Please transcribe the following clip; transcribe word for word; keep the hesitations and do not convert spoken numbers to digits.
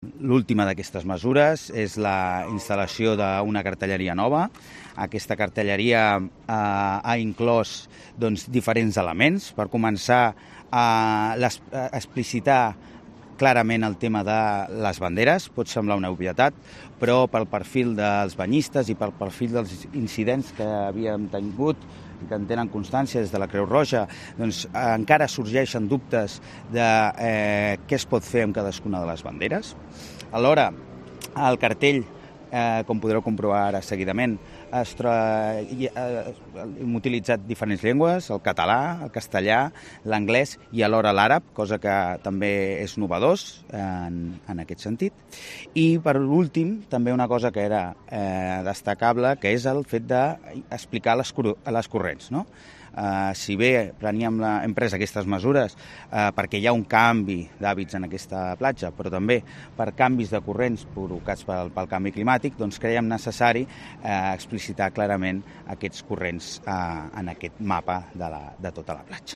L'última d'aquestes mesures és la instal·lació d'una cartelleria nova. Aquesta cartelleria eh, ha inclòs doncs, diferents elements. Per començar, a, a explicitar clarament el tema de les banderes. Pot semblar una obvietat, però pel perfil dels banyistes i pel perfil dels incidents que havíem tingut i que en tenen constància des de la Creu Roja, doncs eh, encara sorgeixen dubtes de eh, què es pot fer amb cadascuna de les banderes. Alhora, el cartell, eh, com podreu comprovar ara seguidament, es troba, eh, hem utilitzat diferents llengües, el català, el castellà, l'anglès i alhora l'àrab, cosa que també és novedós en, en aquest sentit. I per últim, també una cosa que era eh, destacable, que és el fet d'explicar les, les corrents, no? Uh, si bé preníem la, hem pres aquestes mesures uh, perquè hi ha un canvi d'hàbits en aquesta platja, però també per canvis de corrents provocats pel, pel canvi climàtic, doncs creiem necessari uh, explicitar clarament aquests corrents uh, en aquest mapa de, la, de tota la platja.